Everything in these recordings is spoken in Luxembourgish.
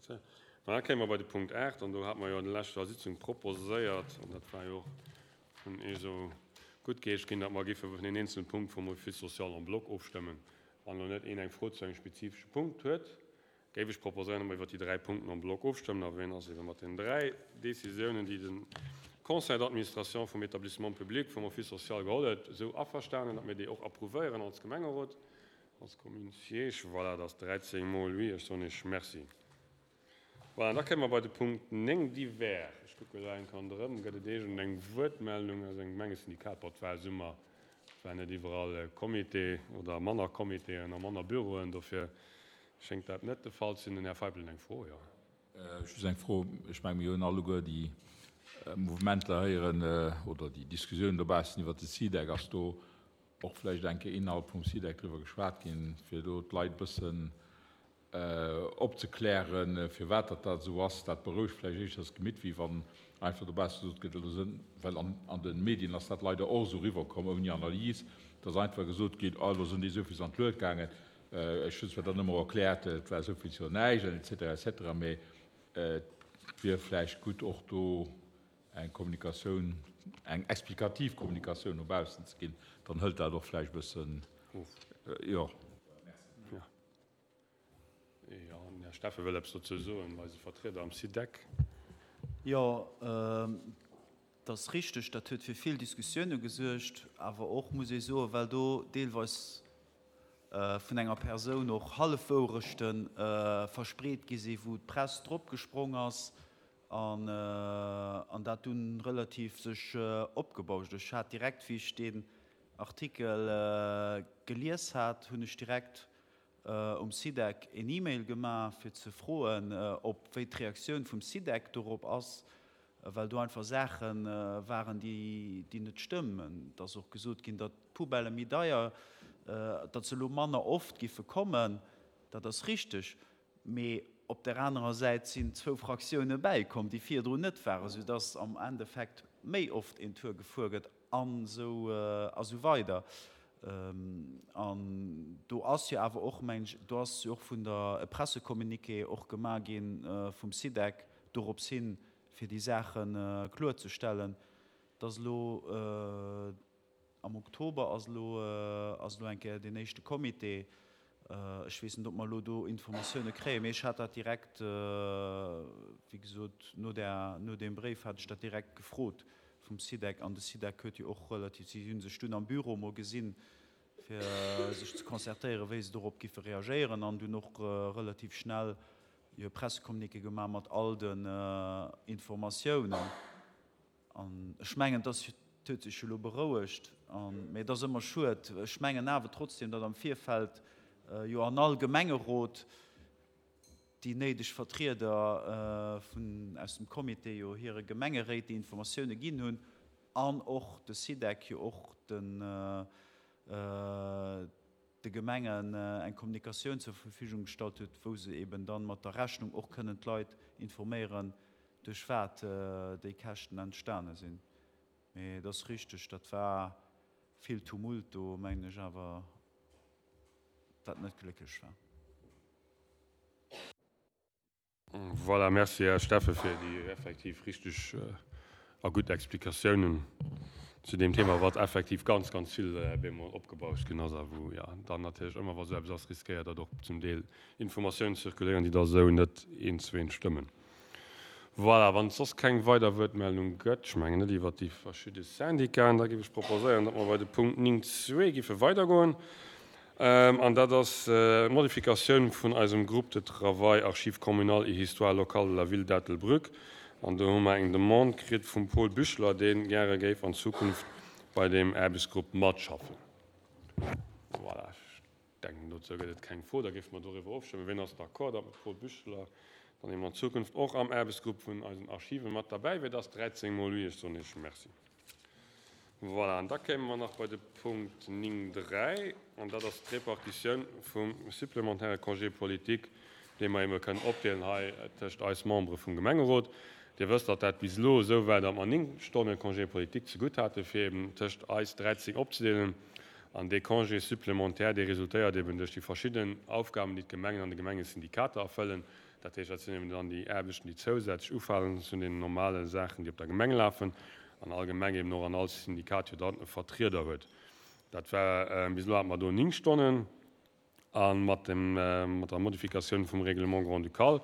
Voilà, da kéime mer bei de Punkt 8, an do hate mer jo an der leschter Sitzung proposéiert, an dat war jo och vun Iech esou guttgeheescht ginn, datt mer géife vun den eenzelne Punkt vum Office social en bloc ofstëmmen. Wann elo net een eng Fro zu engem spezifesche Punkt huet, géif ech proposéieren, datt mer iwwert déi dräi Punkten en bloc ofstëmmen. A wien ass ebe mat den dräi Décisiounen, déi de Conseil d'administration vum Établissement public vum Office social geholl huet, esou averstanen, datt mir déi och approuvéieren als Gemengerot? Als Commune Siège, voilà, dat ass 13 mol oui. Ech soen Iech Merci. Voilà, an da kéime mer bei de Punkt 9, Divers. Ech kucke elo eng Kéier ronderëm, Gëtt et iergend eng Wuertmeldung aus engem Gemengesyndikat? Bon, et war Summer, et war net iwwerall Comité oder manner Comitéen a manner Büroen, dofir schéngt dat net de Fall ze sinn. Den Här Feipel huet eng Fro, jo. Just eng Fro, Ech menge mir hunn alleguer déi Mouvementer héieren oder déi Diskussiounen dobaussen iwwert de SIDEC. Ass do och vläicht eng Kéier innerhalb vum SIDEC driwwer geschwat ginn, fir do d'Leit e bëssen opzeklären, firwat datt dat esou ass. Dat berouegt vläicht éischters d'Gemitt, wéi wann einfach dobausse gesot gëtt, elo sënn, well an de Medien ass dat leider och esou eriwwerkomm, ouni Analys, datt einfach gesot gétt, oh elo sënn déi esou vill an d'Lued gaangen. Ech hunn zwar dann ëmmer erkläert, et war esou vill zu näischt an et cetera, et cetera, mee et wier vläicht gutt och do eng Kommunikatioun, eng explikativ Kommunikatioun no baussen ze ginn, dann hëlt dat och vläicht e bëssen of. Jo. Jo, den Här Steffen wëll eppes dozou soen, eise Vertrieder am SIDEC. Jo, et ass richteg, dat huet fir vill Diskussioune gesuergt, awer och, muss ee soen, well do deelweis vun enger Persoun och Hallefwourechte verspreet gi sinn, wou d'Press drop gesprong ass An dat dunn relativ sech opgebauscht. Ech hat direkt, wéi ech deen Artikel gelies hat, hunn ech direkt um SIDEC een E-Mail gemaach, fir ze froen, ob wéi d'Reaktioun vum SIDEC dorop ass, well do einfach Saache waren, déi net stëmmen. Et ass och gesot ginn, datt d'Poubellë méi deier, datt se elo manner oft giffe kommen. Dat ass richteg. Mee op där anerer Säit sinn zwou Fraktioune bäikomm, déi virdrun net waren, soudass am Endeffekt méi oft een Tour gefuer gëtt an esou a sou weider. An do ass jo awer och, mengen ech, do ass jo och vun der e Pressecommuniqué och gemaach gi vum SIDEC dorops hin, fir déi Saache kloerzestellen, dass elo, Am Oktober ass elo ass elo eng Kéier deen éischte Comité. Ech weess net, ob mer elo do Informatioune kréien, mee ech hat dat direkt, wéi gesot, no där, no deem Bréif hat ech dat direkt gefrot vum SIDEC. An de SIDEC huet jo och relativ, si hu sech dunn am Büro emol gesinn, fir sech ze concertéieren, wéi se dorop giffe reagéieren, an dunn och relativ schnell jo e Pressecommuniqué gemaach mat all den Informatiounen. An ech mengen, dass huet sech elo berouegt, mä et ass ëmmer schued. Ech mengen awer trotzdem, datt am Virfeld jo an all Gemengerot déi néideg Vertrieder vun aus dem Comité jo hire Gemengeréit déi Informatioune ginn hunn an och de SIDEC jo och den de Gemengen eng Kommunikatioun zur Verfügung gestallt huet, wou se eben dann mat der Rechnung och kënnen d'Leit informéieren, duerch wat déi Käschten entstane sinn. Mee et ass richteg, dat war vill Tumult do, mengen ech awer, dat net glécklech war. Voilà, merci Här Steffen fir déi effektiv richteg a gutt Explikatiounen zu deem Thema, wat effektiv ganz, ganz vill bemol opgebauscht ginn ass a wou jo dann natierlech ëmmer, wa sou eppes ass, riskéiert, datt och zum Deel Informatiounen zirkuléieren, déi da sou net eent zu eent stëmmen. Voilà, wann et soss keng weider Wuertmeldung gëtt, ech mengen net iwwert déi verschidde Syndicaten, da géif ech proposéieren, datt mer bei de Punkt 9 zwee géife weidergoen. An dat ass d'Modifikatioun vun eisem Groupe de travail Archives communales et histoire locale de la ville d'Ettelbruck. An do hu mer eng Demande kritt vum Paul Büchler, dee gäre géif an Zukunft bei deem Aarbechtsgrupp matschaffen. Voilà. Denken, dozou gëtt et keng Fro. Da géife mer doriwwer ofstëmmen. Wien ass d'accord, datt de Paul Büchler dann eben an Zukunft och am Aarbechtsgrupp vun eisen Archive mat derbäi wier? Dat ass 13 mol oui. Ech soen Iech Merci. Voilà, an da kéime mer nach bei de Punkt 9, 3, an dat ass d'Repartitioun vum supplémentaire Congé politique, dee mer ebe kënnen opdeelen hei tëscht eis Membere vum Gemengerot. Dir wësst, datt dat bis elo esou war, datt mer 9 Stonne Congé politique zegutt hate fir eben tëscht eis 13 opzedeelen. An dee Congé supplémentaire, dee resultéiert eben duerch déi verschidden Aufgaben, déi d'Gemengen an de Gemengesyndikater erfëllen. Dat heescht, dat sinn eben dann déi Aarbechten, déi zousätzlech ufalen zu den normale Saachen, déi op der Gemeng lafen an all Gemeng eben och an all Syndikat jo dann e Vertrieder huet. Dat war, bis elo hate mer do 9 Stonnen a mat dem, mat der Modifikatioun vum Règlement grand-ducal,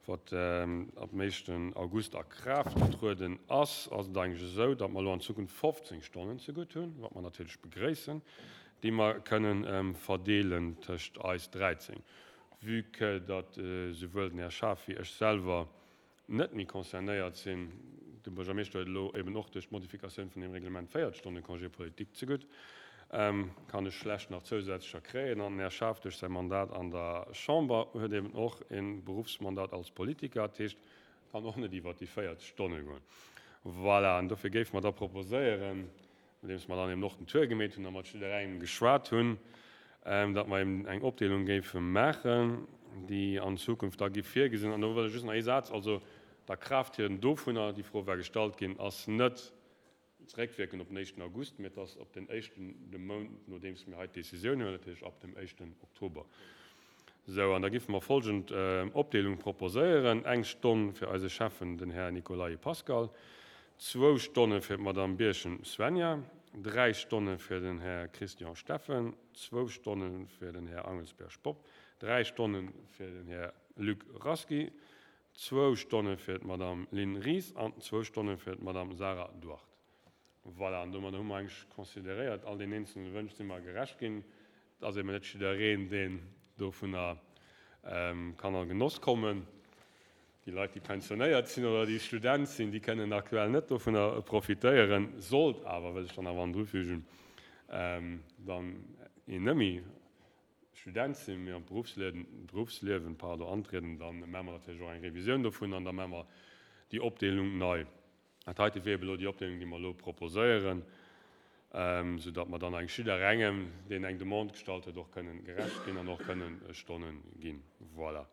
wat ab dem éischten August a Kraaft getrueden ass, ass et eigentlech esou, datt mer elo an Zukunft 15 Stonnen zegutt hunn, wat mer natierlech begréissen, déi mer kënnen verdeelen tëscht eis 13. Vue que datt souwuel den Här Schaaf wéi ech selwer net méi concernéiert sinn, de Buergermeeschter huet elo eben och duerch d'Modifikatioun vun deem Reglement 4 Stonne Congé politique zegutt, kann ech schlecht nach zousätzlecher kréien. An den Här Schaaf duerch säi Mandat an der Chamber huet eben och e Beruffsmandat als Politiker, dat heescht, kann och net iwwert déi 40 Stonne goen. Voilà, an dofir géife mer da proposéieren, nodeems mer dann eben och den Tour gemeet hunn a mat jidderengem geschwat hunn, datt mer eben eng Opdeelung géife maachen, déi an Zukunft da giff virgesinn. An do wëll ech just nach ee Saz, also d'Akraafttrieden dovunner, déi Fro war gestallt ginn, ass net zeréckwierkend op den éischten August, mee et ass op den éischten de Mount, nodeems mir hei d'Décisioun huelen, dat heescht ab dem éischten Oktober. Sou, an da giffe mer folgend Opdeelung proposéieren, Eng Stonn fir eise Schäffen, den Här Nicolay Pascal, zwou Stonne fir d'Madame Birchen Svenja, dräi Stonne fir den Här Christian Steffen, zwou Stonne fir den Här Angelsberg Bob, dräi Stonne fir den Här Luc Rasqui, zwou Stonne fir d'Madame Lynn Ries an zwou Stonne fir d'Madame Sarah Duarte. Voilà, an domadder hu mer eigentlech consideréiert, all deenen eenzelne Wënsch si mer gerecht ginn. Et ass eben net jiddereen, deen dovunner kann a Genoss kommen. Déi Leit, déi pensionéiert sinn oder déi Student sinn, déi kënnen aktuell net dovunner profitéieren. Sollt awer, wëll ech dann awer andrufügen, dann een net méi Student sinn, mee an d'Beruffsliewen, pardon, antrieden, da maache mer natierlech och eng Revisioun dovun an da maache mer déi Opdeelung nei. Dat heite wier eben elo déi Opdeelung, déi mer elo proposéieren, soudatt mer dann eigentlech jidderengem, deen eng Demande gestallt huet, och kënnen gerecht ginn an och kënnen Stonne ginn. Voilà.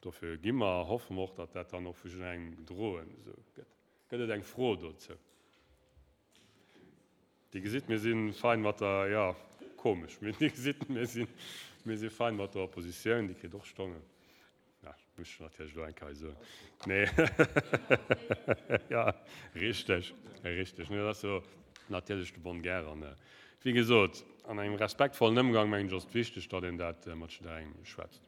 Dofir gi mer a hoffe mer och, datt dat dann och vu jidderengem gedroen esou gëtt. Gëtt et eng Fro dozou? Dir gesitt, mir si fein mat der, jo, komesch, mee Dir gesitt, mir si, mir si fein mat der Oppositioun, déi kritt och Stonnen. Ja, muss ech natierlech elo eng Kéier soen. Nee, ja, richteg, richteg. Nee, dat ass jo natierlech de bonne guerre. An, wéi gesot, an engem respektvollen Ëmgang, mengen ech, ass et wichteg, datt een dat mat jidderengem schwätzt.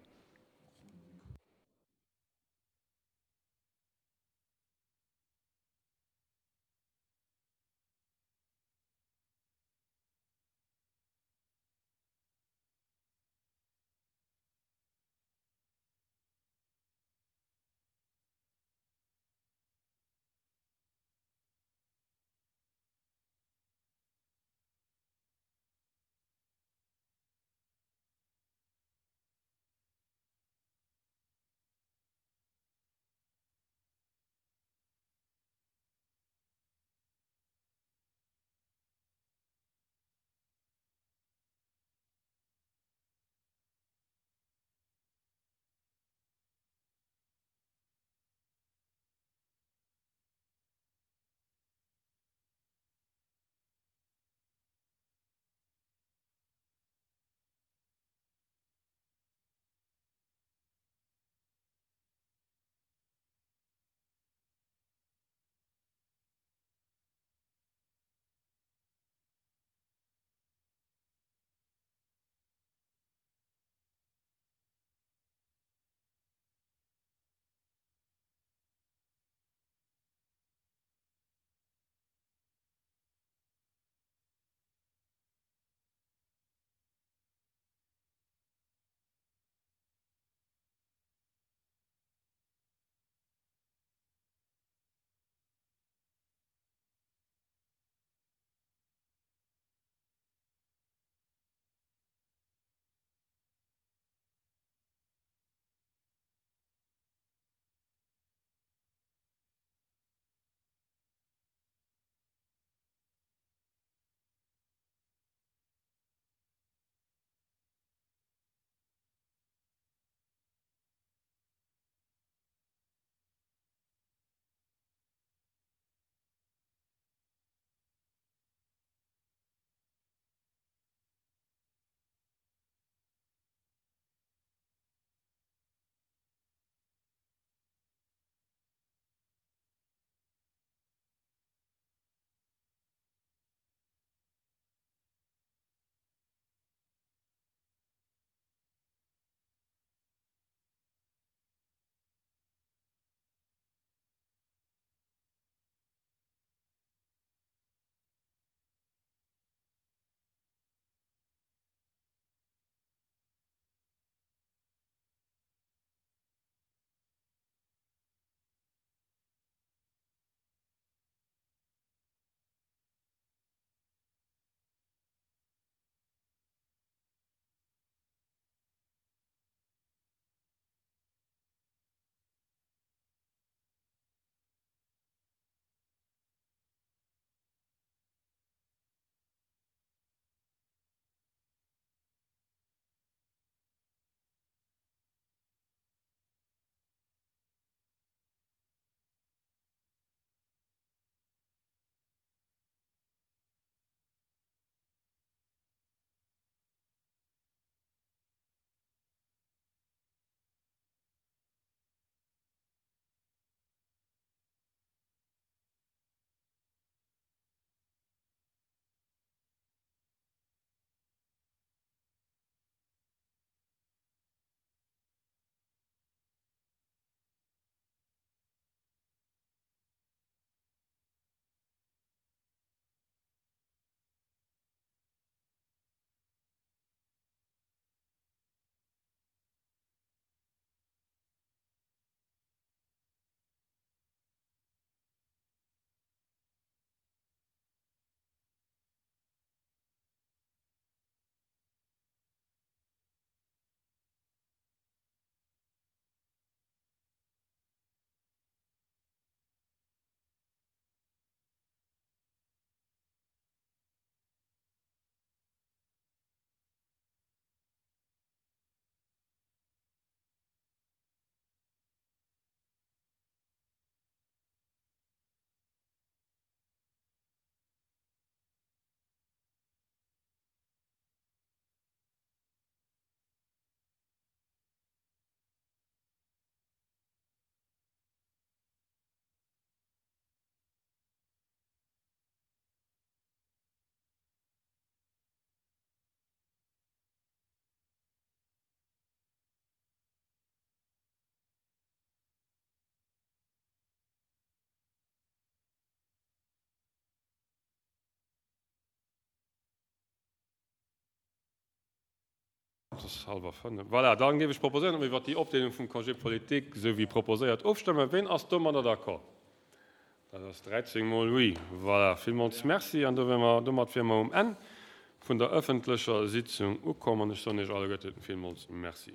Et ass hallwer fënnef. Voilà, da géif ech proposéieren, datt mer iwwert déi Opdeelung vum Congé politique, esou wéi proposéiert, ofstëmmen. Ween ass domadder d'accord? Dat ass 13 mol oui. Voilà, villmools Merci. An do wier mer, domat wier mer um Enn vun der ëffentlecher Sitzung ukomm an ech soen Iech alleguerten villmools Merci.